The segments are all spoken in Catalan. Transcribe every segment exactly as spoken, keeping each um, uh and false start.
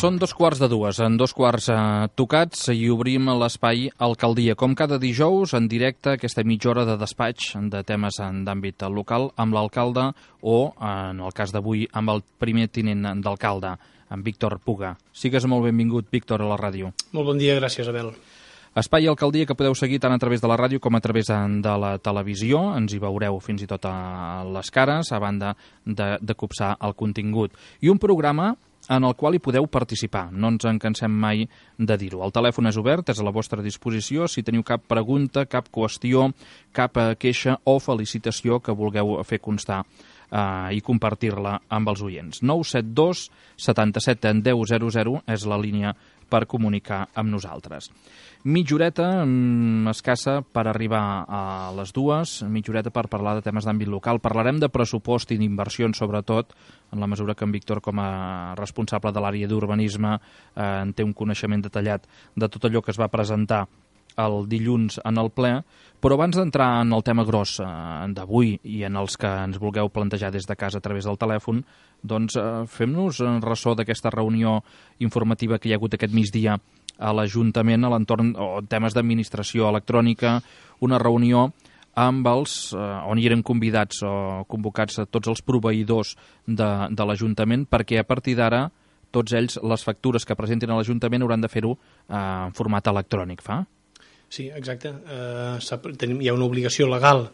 Són dos quarts de dues, en dos quarts eh, tocats, i obrim l'espai Alcaldia. Com cada dijous, en directe, aquesta mitja hora de despatx de temes d'àmbit local amb l'alcalde o, en el cas d'avui, amb el primer tinent d'alcalde, en Víctor Puga. Sigues molt benvingut, Víctor, a la ràdio. Molt bon dia, gràcies, Abel. Espai Alcaldia que podeu seguir tant a través de la ràdio com a través de la televisió. Ens hi veureu fins i tot a les cares, a banda de, de copsar el contingut. I un programa en el qual hi podeu participar. No ens en cansem mai de dir-ho. El telèfon és obert, és a la vostra disposició. Si teniu cap pregunta, cap qüestió, cap queixa o felicitació que vulgueu fer constar eh, i compartir-la amb els oients. nou set dos setanta-set deu zero zero és la línia per comunicar amb nosaltres. Mitja horeta mm, escassa per arribar a les dues, mitja horeta per parlar de temes d'àmbit local. Parlarem de pressupost i d'inversions, sobretot, en la mesura que en Víctor, com a responsable de l'àrea d'urbanisme, eh, en té un coneixement detallat de tot allò que es va presentar el dilluns en el ple, però abans d'entrar en el tema gros eh, d'avui i en els que ens vulgueu plantejar des de casa a través del telèfon, doncs eh, fem-nos ressò d'aquesta reunió informativa que hi ha hagut aquest migdia a l'Ajuntament a l'entorn o temes d'administració electrònica, una reunió amb els, eh, on hi eren convidats o convocats a tots els proveïdors de, de l'Ajuntament, perquè a partir d'ara tots ells, les factures que presentin a l'Ajuntament hauran de fer-ho eh, en format electrònic, fa? Sí, exacte. Uh, hi ha una obligació legal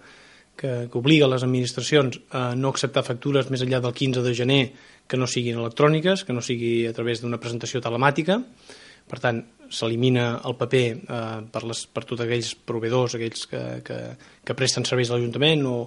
que, que obliga les administracions a no acceptar factures més enllà del quinze de gener que no siguin electròniques, que no sigui a través d'una presentació telemàtica. Per tant, s'elimina el paper eh, per, les, per tots aquells proveïdors, aquells que, que, que presten serveis a l'Ajuntament o,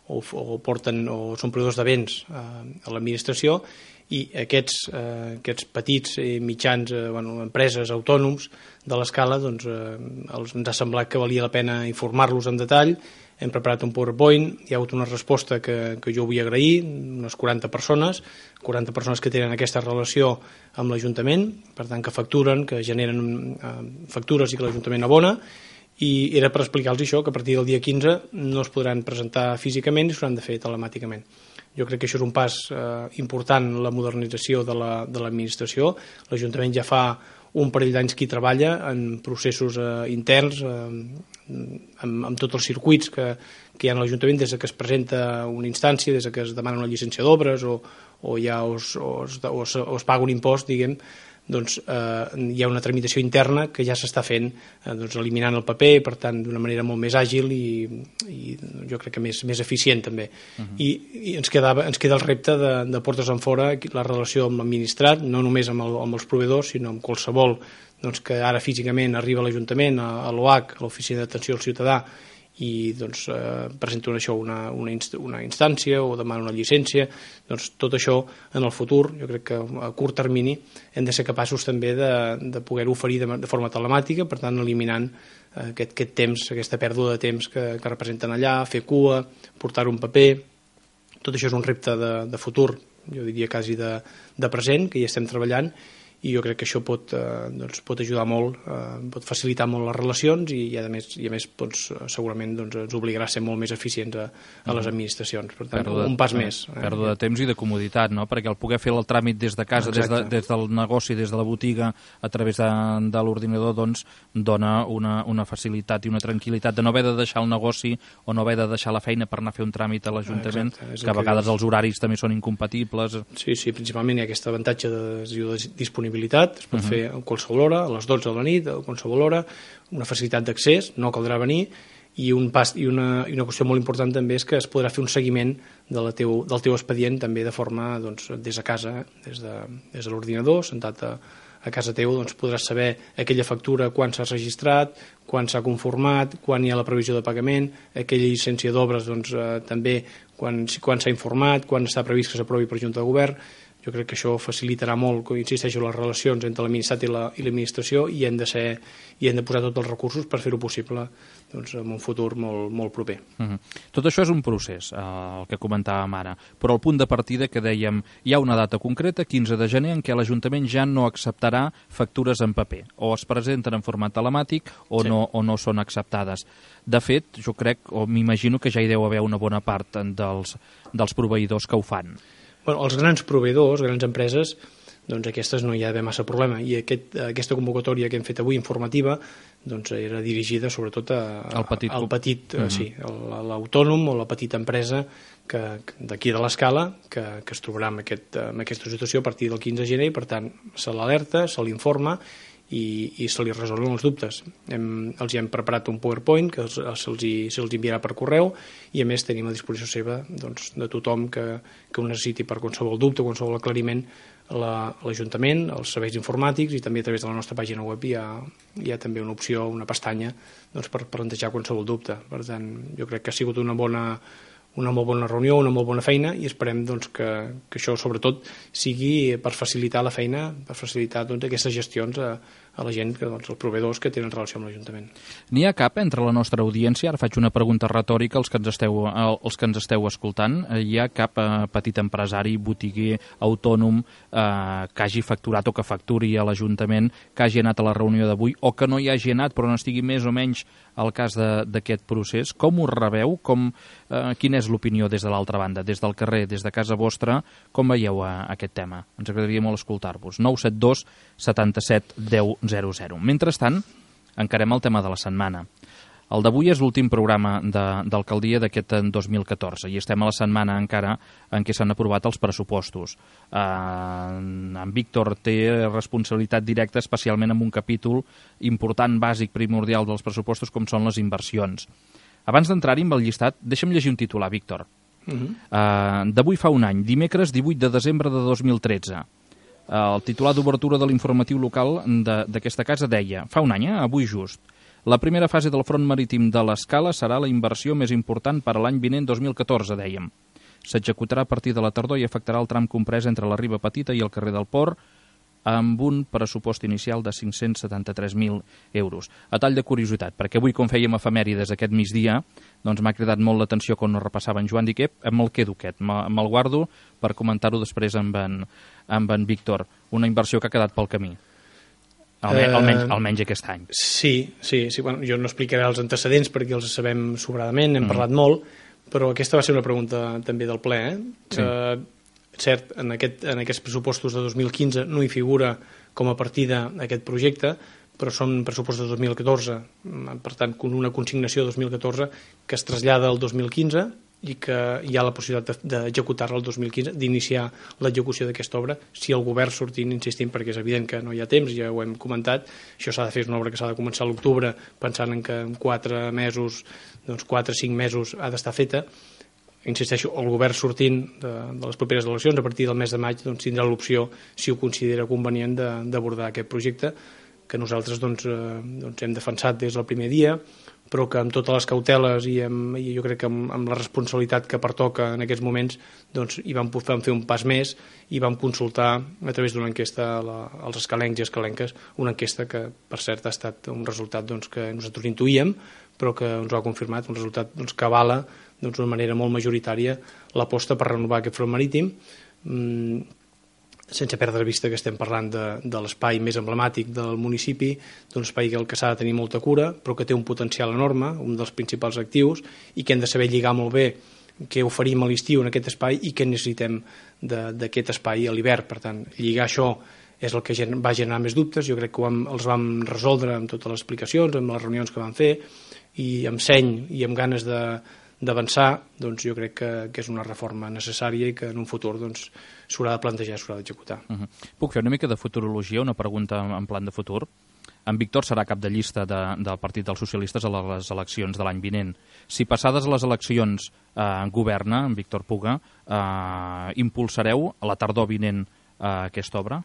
o, o, porten, o són proveïdors de béns eh, a l'administració, i aquests, eh, aquests petits i mitjans eh, bueno, empreses, autònoms de l'escala, doncs, eh, els, ens ha semblat que valia la pena informar-los en detall. Hem preparat un PowerPoint, hi ha hagut una resposta que, que jo vull agrair, unes quaranta persones, quaranta persones que tenen aquesta relació amb l'Ajuntament, per tant que facturen, que generen eh, factures i que l'Ajuntament abona, i era per explicar-los això, que a partir del dia quinze no es podran presentar físicament i s'hauran de fer telemàticament. Jo crec que això és un pas eh, important en la modernització de l'administració. La, L'Ajuntament ja fa un parell d'anys que hi treballa en processos eh, interns, eh, amb, amb tots els circuits que, que hi ha a l'Ajuntament, des que es presenta una instància, des que es demana una llicència d'obres o, o, ja es, o, es, o, es, o es paga un impost, diguem, doncs eh, hi ha una tramitació interna que ja s'està fent, eh, doncs, eliminant el paper, per tant, d'una manera molt més àgil i, i jo crec que més, més eficient també. Uh-huh. I, i ens, quedava, ens queda el repte de, de portes en fora la relació amb l'administrat, no només amb, el, amb els proveïdors, sinó amb qualsevol doncs, que ara físicament arriba a l'Ajuntament, a, a l'O H, a l'Oficina d'Atenció al Ciutadà, i doncs, eh, presenta una, això, una, una, inst una instància o demana una llicència. Doncs tot això en el futur, jo crec que a curt termini hem de ser capaços també de, de poder-ho oferir de, de forma telemàtica, per tant eliminant eh, aquest, aquest temps, aquesta pèrdua de temps que, que representen allà, fer cua, portar-ho en paper. Tot això és un repte de, de futur, jo diria quasi de, de present, que hi estem treballant, i jo crec que això pot, eh, doncs, pot ajudar molt, eh, pot facilitar molt les relacions i, i a més, i a més doncs, segurament doncs, ens obligarà a ser molt més eficients a, a les administracions. Per tant, de, un pas eh, més. Pèrdua de temps i de comoditat, no? Perquè el poder fer el tràmit des de casa, des, de, des del negoci, des de la botiga, a través de, de l'ordinador, doncs, dona una, una facilitat i una tranquil·litat de no haver de deixar el negoci o no haver de deixar la feina per anar a fer un tràmit a l'Ajuntament, que a vegades que els horaris també són incompatibles. Sí, sí, principalment hi ha aquest avantatge de, de disponibilitat. Es pot uh-huh. fer a qualsevol hora, a les dotze de la nit, a qualsevol hora, una facilitat d'accés, no caldrà venir, i, un pas, i, una, i una qüestió molt important també és que es podrà fer un seguiment de la teu, del teu expedient també de forma doncs, des de casa, eh? des de, des de l'ordinador, sentat a, a casa teu, doncs podràs saber aquella factura, quan s'ha registrat, quan s'ha conformat, quan hi ha la previsió de pagament, aquella llicència d'obres doncs, eh, també quan, quan s'ha informat, quan està previst que s'aprovi per Junta de Govern. Jo crec que això facilitarà molt, com insisteixo, les relacions entre l'administrat i l'administració i hem de ser i hem de posar tots els recursos per fer-ho possible doncs, en un futur molt, molt proper. Uh-huh. Tot això és un procés, eh, el que comentàvem ara, però el punt de partida que dèiem, hi ha una data concreta, quinze de gener, en què l'Ajuntament ja no acceptarà factures en paper, o es presenten en format telemàtic o, sí. no, o no són acceptades. De fet, jo crec, o m'imagino que ja hi deu haver una bona part dels, dels proveïdors que ho fan. Bueno, els grans proveïdors, grans empreses, doncs aquestes no hi ha d'haver massa problema. I aquest, aquesta convocatòria que hem fet avui, informativa, doncs era dirigida sobretot a, al petit, al petit uh -huh. sí, a l'autònom o la petita empresa que d'aquí de l'Escala que, que es trobarà en, aquest, en aquesta situació a partir del quinze de gener, i per tant se l'alerta, se l'informa i, i se li resolen els dubtes. Hem, els hi hem preparat un PowerPoint que se'ls se se enviarà per correu, i a més tenim a disposició seva, doncs, de tothom que, que ho necessiti per qualsevol dubte, qualsevol aclariment, l'Ajuntament, els serveis informàtics, i també a través de la nostra pàgina web hi ha, hi ha també una opció, una pestanya, doncs, per plantejar qualsevol dubte. Per tant, jo crec que ha sigut una bona una molt bona reunió, una molt bona feina, i esperem doncs, que, que això sobretot sigui per facilitar la feina, per facilitar doncs, aquestes gestions a, a la gent, que, doncs, els proveïdors que tenen relació amb l'Ajuntament. N'hi ha cap entre la nostra audiència, ara faig una pregunta retòrica als que ens esteu, als que ens esteu escoltant, hi ha cap eh, petit empresari, botiguer, autònom eh, que hagi facturat o que facturi a l'Ajuntament, que hagi anat a la reunió d'avui, o que no hi hagi anat però no estigui més o menys al cas d'aquest procés? Com ho rebeu? Com, eh, quina és l'opinió des de l'altra banda, des del carrer, des de casa vostra? Com veieu a, a aquest tema? Ens agradaria molt escoltar-vos. nou set dos setanta-set deu zero zero. Mentrestant, encarem el tema de la setmana. El d'avui és l'últim programa d'alcaldia d'aquest dos mil catorze i estem a la setmana encara en què s'han aprovat els pressupostos. Eh, en Víctor té responsabilitat directa especialment en un capítol important, bàsic, primordial dels pressupostos, com són les inversions. Abans d'entrar-hi amb el llistat, deixa'm llegir un titular, Víctor. Uh -huh. eh, D'avui fa un any, dimecres divuit de desembre de dos mil tretze. Eh, el titular d'obertura de l'informatiu local d'aquesta casa deia, fa un any, eh, avui just, la primera fase del front marítim de l'Escala serà la inversió més important per a l'any vinent dos mil catorze, dèiem. S'executarà a partir de la tardor i afectarà el tram comprès entre la Riba Petita i el carrer del Port, amb un pressupost inicial de cinc-cents setanta-tres mil euros. A tall de curiositat, perquè avui, com fèiem efemèrides aquest migdia, doncs m'ha cridat molt l'atenció quan no repassava en Joan Diquep, me'l quedo aquest, me'l guardo per comentar-ho després amb en, amb en Víctor. Una inversió que ha quedat pel camí. Almenys, almenys, almenys aquest any. Sí, sí, sí. Bueno, jo no explicaré els antecedents perquè els sabem sobradament, hem mm. parlat molt, però aquesta va ser una pregunta també del ple. Eh? Sí. Uh, cert, en, aquest, en aquests pressupostos de dos mil quinze no hi figura com a partida aquest projecte, però són pressupostos de dos mil catorze, per tant, una consignació de dos mil catorze que es trasllada al dos mil quinze i que hi ha la possibilitat d'executar-la el dos mil quinze, d'iniciar l'execució d'aquesta obra, si el govern sortint, insistim, perquè és evident que no hi ha temps, ja ho hem comentat, això s'ha de fer, és una obra que s'ha de començar a l'octubre, pensant en que en quatre mesos, doncs quatre o cinc mesos ha d'estar feta. Insisteixo, el govern sortint de, de les properes eleccions, a partir del mes de maig, doncs, tindrà l'opció, si ho considera convenient, d'abordar aquest projecte, que nosaltres doncs, eh, doncs hem defensat des del primer dia, però que amb totes les cauteles i, amb, i jo crec que amb, amb la responsabilitat que pertoca en aquests moments, doncs hi vam, vam fer un pas més i vam consultar a través d'una enquesta la, als escalencs i escalenques, una enquesta que per cert ha estat un resultat doncs, que nosaltres intuïem, però que ens ho ha confirmat, un resultat doncs, que avala d'una doncs, manera molt majoritària l'aposta per renovar aquest front marítim, mm, sense perdre de vista que estem parlant de, de l'espai més emblemàtic del municipi, d'un espai del que s'ha de tenir molta cura, però que té un potencial enorme, un dels principals actius, i que hem de saber lligar molt bé què oferim a l'estiu en aquest espai i què necessitem d'aquest espai a l'hivern. Per tant, lligar això és el que va generar més dubtes. Jo crec que vam, els vam resoldre amb totes les explicacions, amb les reunions que vam fer, i amb seny i amb ganes de d'avançar, doncs jo crec que, que és una reforma necessària i que en un futur doncs, s'haurà de plantejar, s'haurà d'executar. Uh -huh. Puc fer una mica de futurologia, una pregunta en plan de futur? En Víctor serà cap de llista de, del Partit dels Socialistes a les eleccions de l'any vinent. Si passades les eleccions eh, governa, en Víctor Puga, eh, impulsareu a la tardor vinent eh, aquesta obra?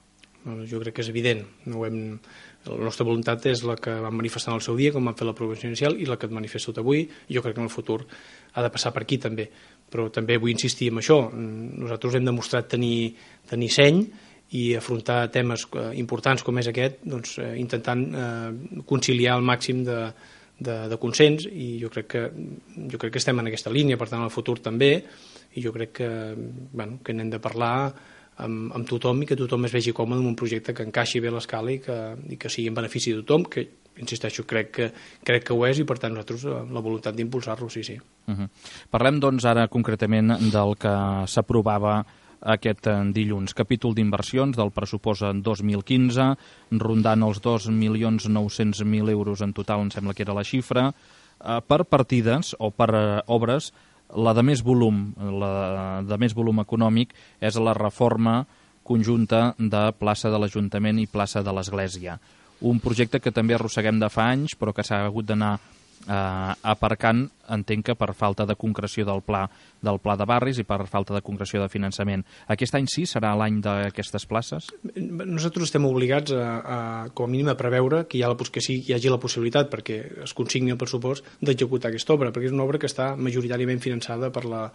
Jo crec que és evident. No hem... La nostra voluntat és la que vam manifestar en el seu dia, com vam fer l'aprovació inicial, i la que et manifesto avui. Jo crec que en el futur ha de passar per aquí també. Però també vull insistir en això. Nosaltres hem demostrat tenir, tenir seny i afrontar temes importants com és aquest, doncs, eh, intentant eh, conciliar el màxim de, de, de consens, i jo crec que jo crec que estem en aquesta línia, per tant, en el futur també, i jo crec que, bueno, que n'hem de parlar Amb, amb tothom i que tothom es vegi còmode en un projecte que encaixi bé a l'escala i, que, i que sigui en benefici de tothom, que, insisteixo, crec que, crec que ho és, i per tant nosaltres la voluntat d'impulsar-lo, sí, sí. Uh-huh. Parlem doncs ara concretament del que s'aprovava aquest dilluns. Capítol d'inversions del pressupost dos mil quinze, rondant els dos milions nou-cents mil euros en total, em sembla que era la xifra, per partides o per obres. La de més volum, la de més volum econòmic és la reforma conjunta de plaça de l'Ajuntament i plaça de l'Església. Un projecte que també arrosseguem de fa anys, però que s'ha hagut d'anar eh, aparcant, entenc que per falta de concreció del pla, del pla de barris i per falta de concreció de finançament. Aquest any sí serà l'any d'aquestes places? Nosaltres estem obligats a, a com a mínim a preveure que hi, ha la, que sí, hi hagi la possibilitat, perquè es consigni el pressupost, d'executar aquesta obra, perquè és una obra que està majoritàriament finançada per la,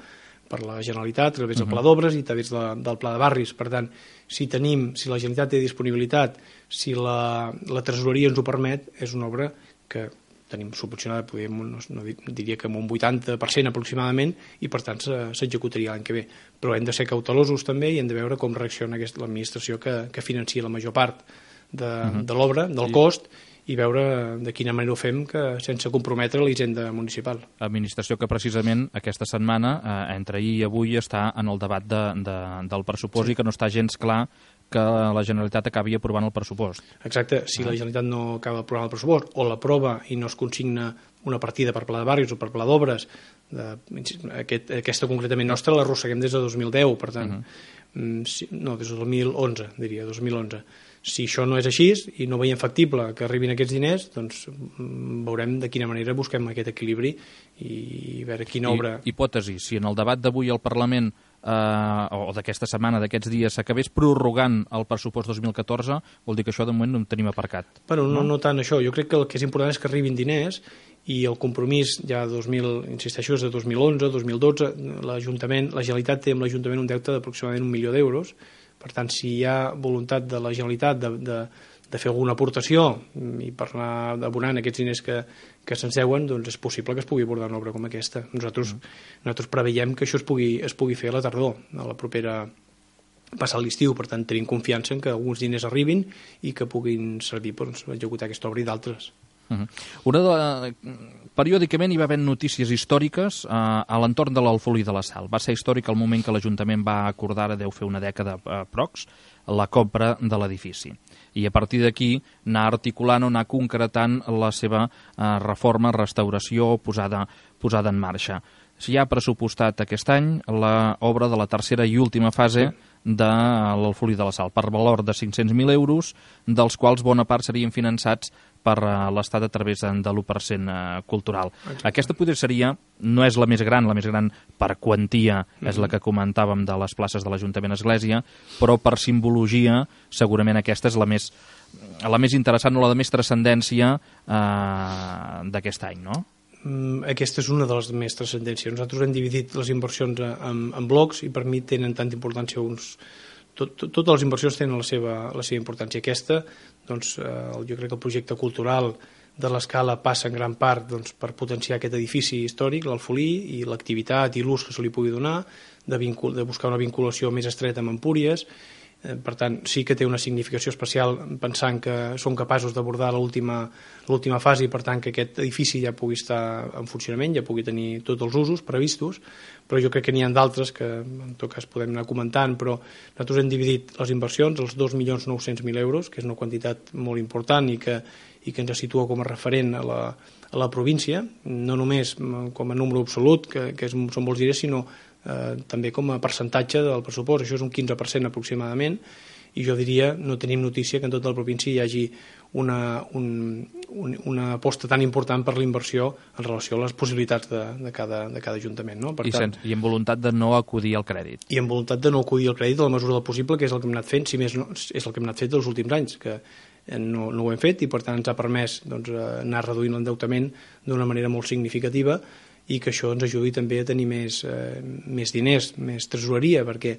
per la Generalitat, a través del Pla d'Obres i a través de, del Pla de Barris. Per tant, si tenim, si la Generalitat té disponibilitat, si la, la tresoreria ens ho permet, és una obra que tenim subvencionada, podríem, no, no diria que amb un vuitanta per cent aproximadament, i per tant s'executaria l'any que ve. Però hem de ser cautelosos també i hem de veure com reacciona l'administració que, que financia la major part de, uh-huh. de l'obra, del cost, i veure de quina manera ho fem que, sense comprometre la hisenda municipal. Administració que precisament aquesta setmana, eh, entre ahir i avui, està en el debat de, de, del pressupost sí. I que no està gens clar que la Generalitat acabi aprovant el pressupost. Exacte, si ah. la Generalitat no acaba aprovant el pressupost o l'aprova i no es consigna una partida per Pla de Barris o per Pla d'Obres, aquest, aquesta concretament nostra l'arrosseguem des de dos mil deu, per tant, uh-huh. si, no, des de dos mil onze, diria, dos mil onze. Si això no és així i no veiem factible que arribin aquests diners, doncs veurem de quina manera busquem aquest equilibri i veure quina obra... I, hipòtesi, si en el debat d'avui al Parlament eh, o d'aquesta setmana, d'aquests dies, s'acabés prorrogant el pressupost dos mil catorze, vol dir que això de moment no en tenim aparcat. Bueno, no, no tant això. Jo crec que el que és important és que arribin diners i el compromís ja dos mil, insisteixo, és de dos mil onze, dos mil dotze, l'Ajuntament, la Generalitat té amb l'Ajuntament un deute d'aproximadament un milió d'euros. Per tant, si hi ha voluntat de la Generalitat de, de, de fer alguna aportació i per anar abonant aquests diners que, que se'ns deuen, doncs és possible que es pugui abordar una obra com aquesta. Nosaltres, mm. nosaltres preveiem que això es pugui, es pugui fer a la tardor, a la propera passar l'estiu. Per tant, tenim confiança en que alguns diners arribin i que puguin servir per doncs, executar aquesta obra i d'altres. Uh-huh. Una de... Periòdicament hi va haver notícies històriques eh, a l'entorn de l'Alfolí de la Sal. Va ser històric el moment que l'Ajuntament va acordar, deu fer una dècada eh, prox, la compra de l'edifici. I a partir d'aquí anar articulant o anar concretant la seva eh, reforma, restauració, posada, posada en marxa. S'hi ha pressupostat aquest any l'obra de la tercera i última fase de l'Alfolí de la Sal, per valor de cinc-cents mil euros, dels quals bona part serien finançats per l'Estat a través de l'u per cent cultural. Exacte. Aquesta potser seria, no és la més gran, la més gran per quantia mm-hmm. és la que comentàvem de les places de l'Ajuntament Església, però per simbologia segurament aquesta és la més, la més interessant o la de més transcendència eh, d'aquest any, no? Aquesta és una de les més transcendències. Nosaltres hem dividit les inversions en, en blocs i per mi tenen tanta importància uns... Tot, tot, totes les inversions tenen la seva, la seva importància. Aquesta, doncs, eh, jo crec que el projecte cultural de l'Escala passa en gran part doncs, per potenciar aquest edifici històric, l'Alfolí, i l'activitat i l'ús que se li pugui donar, de, vincul, de buscar una vinculació més estreta amb Empúries. Eh, per tant, sí que té una significació especial pensant que són capaços d'abordar l'última l'última fase i per tant que aquest edifici ja pugui estar en funcionament, ja pugui tenir tots els usos previstos, però jo crec que n'hi ha d'altres que en tot cas podem anar comentant, però nosaltres hem dividit les inversions, els dos milions nou-cents mil euros, que és una quantitat molt important i que, i que ens situa com a referent a la, a la província, no només com a número absolut, que, que és, són molts diners, sinó eh, també com a percentatge del pressupost. Això és un quinze per cent aproximadament, i jo diria, no tenim notícia que en tota la província hi hagi una, un, un, una aposta tan important per la inversió en relació a les possibilitats de, de, cada, de cada ajuntament. No? Per I, tant, sense, I amb voluntat de no acudir al crèdit. I amb voluntat de no acudir al crèdit a la mesura del possible, que és el que hem anat fent, si més no, és el que hem anat fent els últims anys, que no, no ho hem fet i per tant ens ha permès doncs, anar reduint l'endeutament d'una manera molt significativa i que això ens ajudi també a tenir més, eh, més diners, més tresoreria, perquè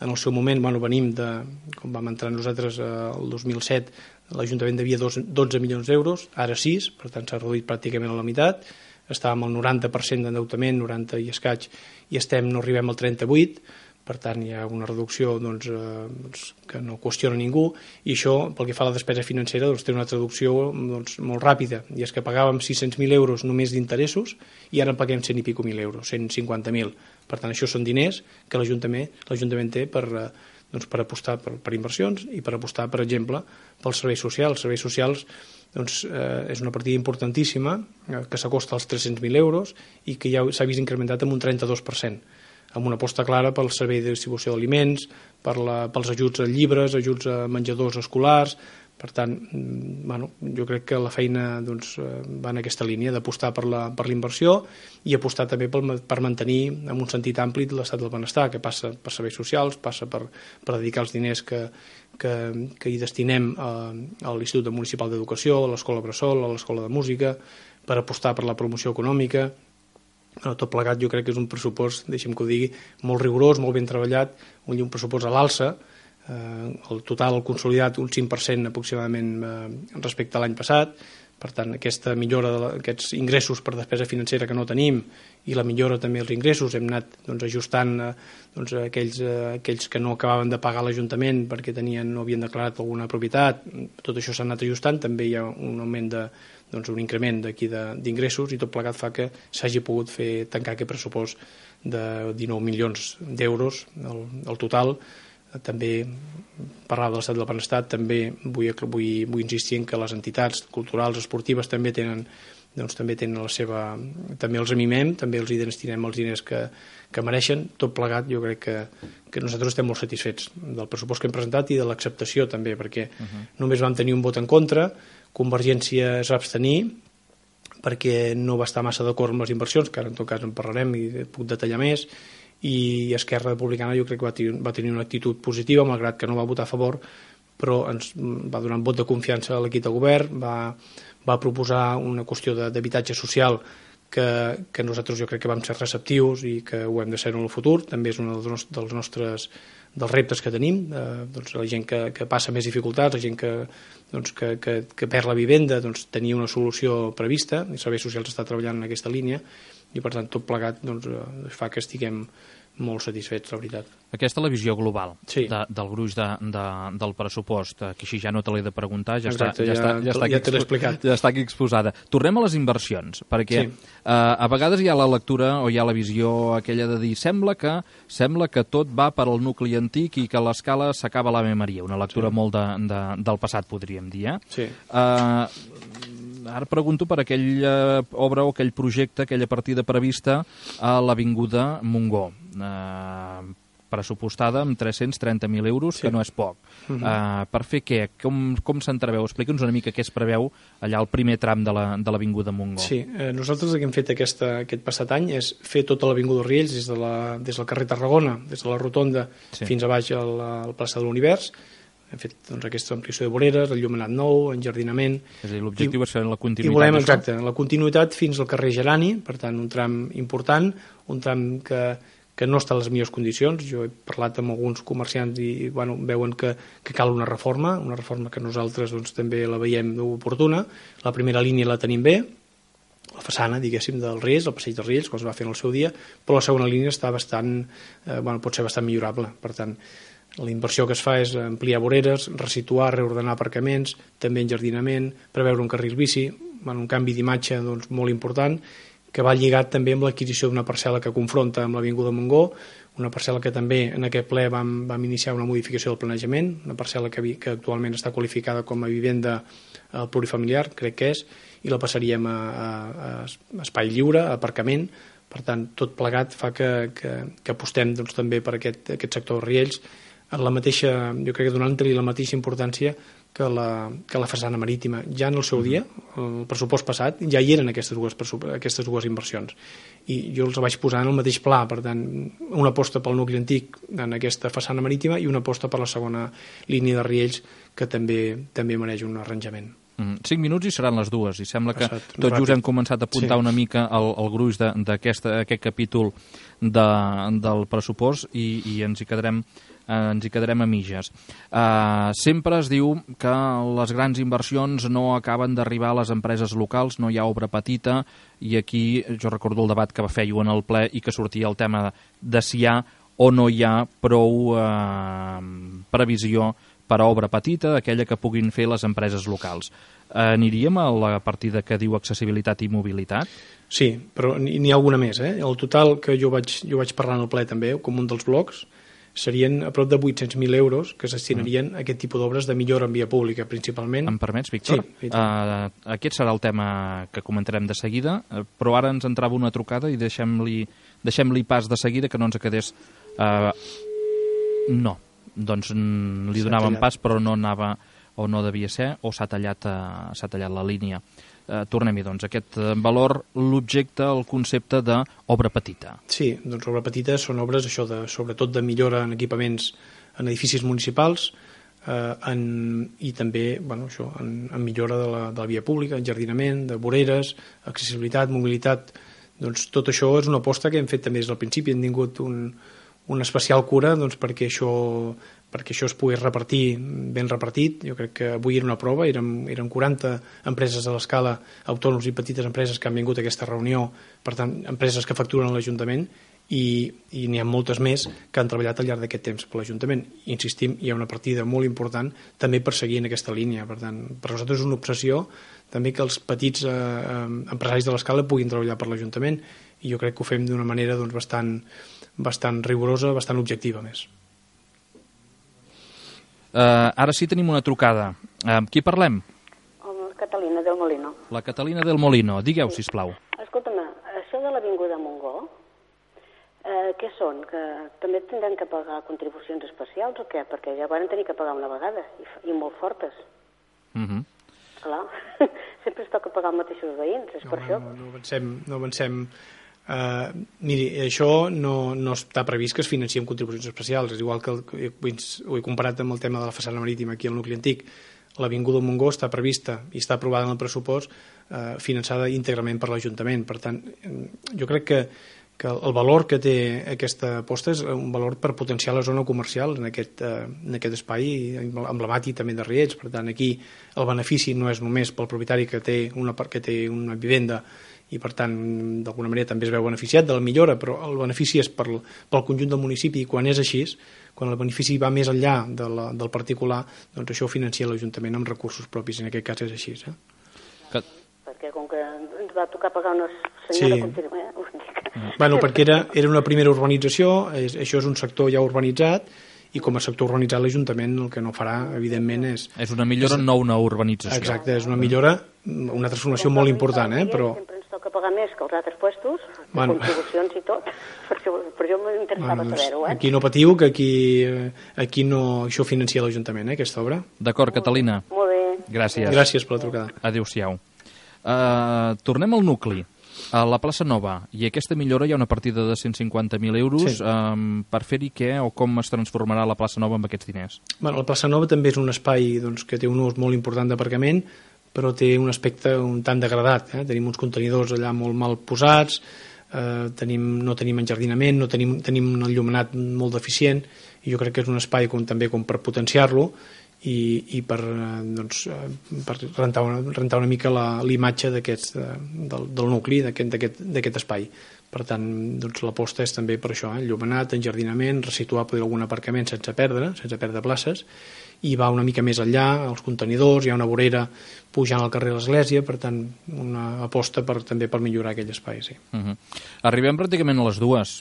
en el seu moment, bueno, venim de, com vam entrar nosaltres eh, el dos mil set, l'Ajuntament devia dotze milions d'euros, ara sis, per tant s'ha reduït pràcticament a la meitat, estàvem al noranta per cent d'endeutament, noranta i escaig, i estem, no arribem al trenta-vuit, per tant hi ha una reducció doncs, eh, que no qüestiona ningú, i això, pel que fa a la despesa financera, doncs, té una traducció doncs, molt ràpida, i és que pagàvem sis-cents mil euros només d'interessos i ara paguem cent i pico mil euros, cent cinquanta mil. Per tant, això són diners que l'Ajuntament l'Ajuntament té per, doncs, per apostar per, per inversions i per apostar, per exemple, pels serveis socials. Els serveis socials doncs, eh, és una partida importantíssima eh, que s'acosta als tres-cents mil euros i que ja s'ha vist incrementat amb un trenta-dos per cent, amb una aposta clara pel servei de distribució d'aliments, per la, pels ajuts a llibres, ajuts a menjadors escolars. Per tant, bueno, jo crec que la feina doncs, va en aquesta línia d'apostar per la, per la inversió i apostar també per, per mantenir en un sentit ampli l'estat del benestar, que passa per serveis socials, passa per, per dedicar els diners que, que, que hi destinem a, a l'Institut Municipal d'Educació, a l'Escola Bressol, a l'Escola de Música, per apostar per la promoció econòmica. Bueno, tot plegat jo crec que és un pressupost, deixem que ho digui, molt rigorós, molt ben treballat, un, un pressupost a l'alça. Eh, el total, el consolidat, un cinc per cent aproximadament eh, respecte a l'any passat. Per tant, aquesta millora d'aquests ingressos per despesa financera que no tenim i la millora també dels ingressos, hem anat doncs, ajustant eh, doncs, aquells, eh, aquells que no acabaven de pagar l'Ajuntament perquè tenien, no havien declarat alguna propietat. Tot això s'ha anat ajustant, també hi ha un augment de, doncs, un increment d'aquí d'ingressos, i tot plegat fa que s'hagi pogut fer tancar aquest pressupost de dinou milions d'euros el, el total. També parlar de l'estat del benestar, també vull, vull, vull insistir en que les entitats culturals, esportives també tenen, doncs, també tenen la seva, també els amimem, també els hi destinem els diners que, que mereixen. Tot plegat jo crec que, que nosaltres estem molt satisfets del pressupost que hem presentat i de l'acceptació també, perquè uh-huh. només vam tenir un vot en contra, Convergència es va abstenir perquè no va estar massa d'acord amb les inversions, que ara en tot cas en parlarem i puc detallar més, i Esquerra Republicana jo crec que va tenir, va tenir una actitud positiva, malgrat que no va votar a favor, però ens va donar un vot de confiança a l'equip de govern, va, va proposar una qüestió d'habitatge social que, que nosaltres jo crec que vam ser receptius i que ho hem de ser en el futur. També és un dels, dels nostres dels reptes que tenim, eh, doncs la gent que, que passa més dificultats, la gent que, doncs, que, que, que perd la vivenda, doncs tenir una solució prevista, i Serveis Socials està treballant en aquesta línia, i per tant tot plegat doncs, fa que estiguem molt satisfets, la veritat. Aquesta és la visió global sí. de, del gruix de, de, del pressupost, que així ja no te l'he de preguntar, ja, Exacte, està, ja, ja, està, ja, està ja te l'he explicat. Ja està aquí exposada. Tornem a les inversions, perquè sí. eh, a vegades hi ha la lectura o hi ha la visió aquella de dir sembla que, sembla que tot va per al nucli antic i que l'escala s'acaba a l'Ave Maria, una lectura sí. molt de, de, del passat, podríem dir. Eh? Sí. Eh, ara pregunto per aquella obra o aquell projecte, aquella partida prevista a l'Avinguda Montgó, eh, pressupostada amb tres-cents trenta mil euros, sí. que no és poc. Uh-huh. eh, per fer què? Com, com s'entreveu? Explica'ns una mica què es preveu allà al primer tram de l'Avinguda Montgó. Sí, eh, nosaltres el que hem fet aquesta, aquest passat any és fer tota l'Avinguda Riells des, de la, des del carrer Tarragona, des de la Rotonda sí. fins a baix al, al plaça de l'Univers. Hem fet doncs, aquesta ampliació de voreres, el llumenat nou, enjardinament. És a dir, l'objectiu és fer la continuïtat. I volem, exacte, la continuïtat fins al carrer Gerani, per tant, un tram important, un tram que, que no està en les millors condicions. Jo he parlat amb alguns comerciants i bueno, veuen que, que cal una reforma, una reforma que nosaltres doncs, també la veiem oportuna. La primera línia la tenim bé, la façana, diguéssim, del Riells, el passeig dels Riells, com es va fer en el seu dia, però la segona línia està bastant, eh, bueno, pot ser bastant millorable. Per tant, la inversió que es fa és ampliar voreres, resituar, reordenar aparcaments, també enjardinament, preveure un carril bici, bueno, un canvi d'imatge doncs, molt important, que va lligat també amb l'adquisició d'una parcel·la que confronta amb l'Avinguda Montgó, una parcel·la que també en aquest ple vam, vam iniciar una modificació del planejament, una parcel·la que, que actualment està qualificada com a vivenda eh, plurifamiliar, crec que és, i la passaríem a, a, a espai lliure, a aparcament. Per tant, tot plegat fa que, que, que apostem doncs, també per aquest, aquest sector de Riells, en la mateixa, jo crec que donant-li la mateixa importància que la, que la façana marítima. Ja en el seu dia, el pressupost passat, ja hi eren aquestes dues, aquestes dues inversions. I jo els vaig posar en el mateix pla, per tant, una aposta pel nucli antic en aquesta façana marítima i una aposta per la segona línia de Riells, que també també mereix un arranjament. Mm, cinc minuts i seran les dues, i sembla que Passat, tot ràpid. just hem començat a apuntar sí. una mica el, el gruix d'aquest capítol de, del pressupost i, i ens hi quedarem Uh, ens hi quedarem a mitges. Uh, sempre es diu que les grans inversions no acaben d'arribar a les empreses locals, no hi ha obra petita, i aquí jo recordo el debat que fèieu en el ple i que sortia el tema de si hi ha o no hi ha prou eh, previsió per a obra petita, aquella que puguin fer les empreses locals. Aniríem a la partida que diu accessibilitat i mobilitat? Sí, però n'hi ha alguna més. Eh? El total que jo vaig, jo vaig parlar en el ple també, com un dels blocs, serien a prop de vuit-cents mil euros que s'estinarien mm. a aquest tipus d'obres de millora en via pública, principalment. Em permets, Víctor? Sí. Uh, aquest serà el tema que comentarem de seguida, però ara ens entrava una trucada i deixem-li deixem-li pas de seguida, que no ens quedés... Uh, no, doncs li donàvem pas, però no anava o no devia ser, o s'ha tallat, uh, s'ha tallat la línia. Uh, tornem-hi, doncs, aquest valor, l'objecte, el concepte d'obra petita. Sí, doncs obra petita són obres, això, de, sobretot de millora en equipaments en edificis municipals eh, en, i també, bueno, això, en, en millora de la, de la via pública, enjardinament, de voreres, accessibilitat, mobilitat. Doncs tot això és una aposta que hem fet també des del principi, hem tingut un, una especial cura doncs, perquè això perquè això es pogués repartir ben repartit. Jo crec que avui era una prova, érem, érem quaranta empreses a l'escala, autònoms i petites empreses que han vingut a aquesta reunió, per tant, empreses que facturen a l'Ajuntament, i, i n'hi ha moltes més que han treballat al llarg d'aquest temps per l'Ajuntament. Insistim, hi ha una partida molt important també per seguir en aquesta línia. Per tant, per nosaltres és una obsessió també que els petits eh, empresaris de l'escala puguin treballar per l'Ajuntament, i jo crec que ho fem d'una manera doncs, bastant, bastant rigorosa, bastant objectiva més. Uh, ara sí tenim una trucada. Uh, amb qui parlem? Amb Catalina del Molino. La Catalina del Molino. Digueu, sisplau. Escolta'm, això de l'Avinguda Montgó, eh, què són? Que també tindran que pagar contribucions especials o què? Perquè ja van tenir que pagar una vegada, i, i molt fortes. Uh -huh. Clar, sempre es toca pagar els mateixos veïns, és no, per no, això. No, no avancem... No avancem. Uh, miri, això no, no està previst que es financi amb contribucions especials, és igual que el, ho he comparat amb el tema de la façana marítima aquí al nucli antic. L'Avinguda Montgó està prevista i està aprovada en el pressupost, uh, finançada íntegrament per l'Ajuntament. Per tant, jo crec que, que el valor que té aquesta aposta és un valor per potenciar la zona comercial en aquest, uh, en aquest espai emblemàtic també de Riells. Per tant, aquí el benefici no és només pel propietari que té una, que té una vivenda i per tant d'alguna manera també es veu beneficiat de la millora, però el benefici és per, pel conjunt del municipi, i quan és així, quan el benefici va més enllà de la, del particular, doncs això ho financia l'Ajuntament amb recursos propis, en aquest cas és així. Eh? Que... Perquè com que ens va tocar pagar una senyora sí. contínua, eh? Us dic. Bueno, perquè era, era una primera urbanització, és, això és un sector ja urbanitzat, i com a sector urbanitzat l'Ajuntament el que no farà, evidentment, és... És una millora, és, no una urbanització. Exacte, és una millora, una transformació molt important, eh? Però... que pagar més que els altres puestos, bueno. Contribucions i tot. Per això, per això m'interessava bueno, saber-ho. Eh? Aquí no patiu, que aquí, aquí no, això financia l'Ajuntament, eh, aquesta obra. D'acord, Catalina. Molt bé. Gràcies. Gràcies per la trucada. Adéu-siau. Uh, tornem al nucli. A la plaça Nova, i aquesta millora hi ha una partida de cent cinquanta mil euros sí. um, per fer-hi què o com es transformarà la plaça Nova amb aquests diners? Bueno, la plaça Nova també és un espai doncs, que té un ús molt important d'aparcament, però té un aspecte un tant degradat. Eh? Tenim uns contenidors allà molt mal posats, eh, tenim, no tenim enjardinament, no tenim, tenim un enllumenat molt deficient, i jo crec que és un espai com, també com per potenciar-lo i, i per, eh, doncs, per rentar, una, rentar una mica la, l'imatge d'aquest, de, del, del nucli, d'aquest, d'aquest espai. Per tant, doncs, l'aposta és també per això, eh? Enllumenat, enjardinament, resituar poder algun aparcament sense perdre, sense perdre places, i va una mica més enllà, els contenidors, hi ha una vorera pujant al carrer de l'Església, per tant, una aposta per, també per millorar aquell espai. Sí. Uh-huh. Arribem pràcticament a les dues.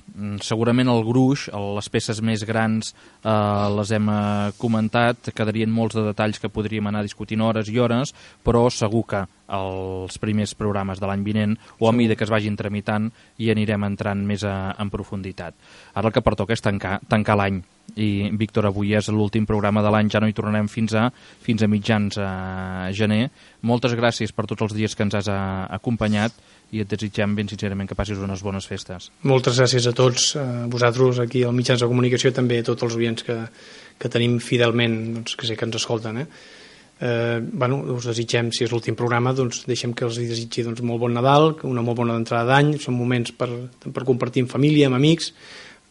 Segurament el gruix, les peces més grans, eh, les hem comentat, quedarien molts de detalls que podríem anar discutint hores i hores, però segur que els primers programes de l'any vinent, o a mesura que es vagin tramitant, hi anirem entrant més a, en profunditat. Ara el que pertoca és tancar, tancar l'any. I, Víctor, avui és l'últim programa de l'any, ja no hi tornarem fins a, fins a mitjans a gener. Moltes gràcies per tots els dies que ens has a, acompanyat i et desitgem ben sincerament que passis unes bones festes. Moltes gràcies a tots, a vosaltres aquí als mitjans de comunicació, també a tots els oients que, que tenim fidelment, doncs, que sé que ens escolten. Eh? Eh, bueno, us desitgem, si és l'últim programa, doncs deixem que els desitgi doncs, molt bon Nadal, una molt bona entrada d'any, són moments per, per compartir amb família, amb amics,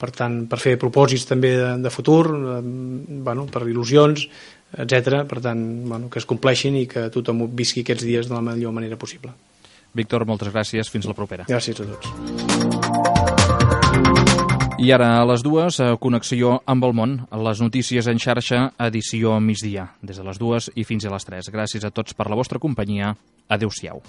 per tant, per fer propòsits també de, de futur, eh, bueno, per il·lusions, etcètera. Per tant, bueno, que es compleixin i que tothom visqui aquests dies de la millor manera possible. Víctor, moltes gràcies. Fins la propera. Gràcies a tots. I ara a les dues, connexió amb el món, les notícies en xarxa, edició migdia, des de les dues i fins a les tres. Gràcies a tots per la vostra companyia. Adéu-siau.